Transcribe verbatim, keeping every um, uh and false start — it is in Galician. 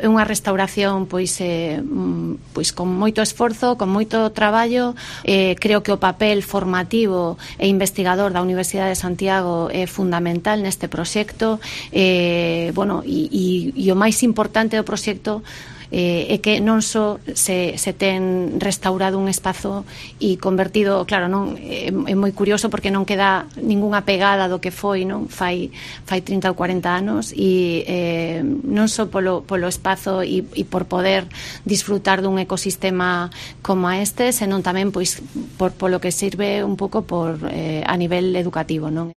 É unha restauración pois, eh, pois con moito esforzo, con moito traballo. Eh, creo que o papel formativo e investigador da Universidade de Santiago é fundamental neste proxecto. Eh, bueno, e, e, e o máis importante do proxecto eh, é que non só se, se ten restaurado un espazo e convertido, claro, non é, é moi curioso porque non queda ningunha pegada do que foi, non fai, fai trinta ou cuarenta anos, e eh, non só polo, polo espazo e, e por poder disfrutar dun ecosistema como este, senón tamén pois por, polo que sirve un pouco por, eh, a nivel educativo, non?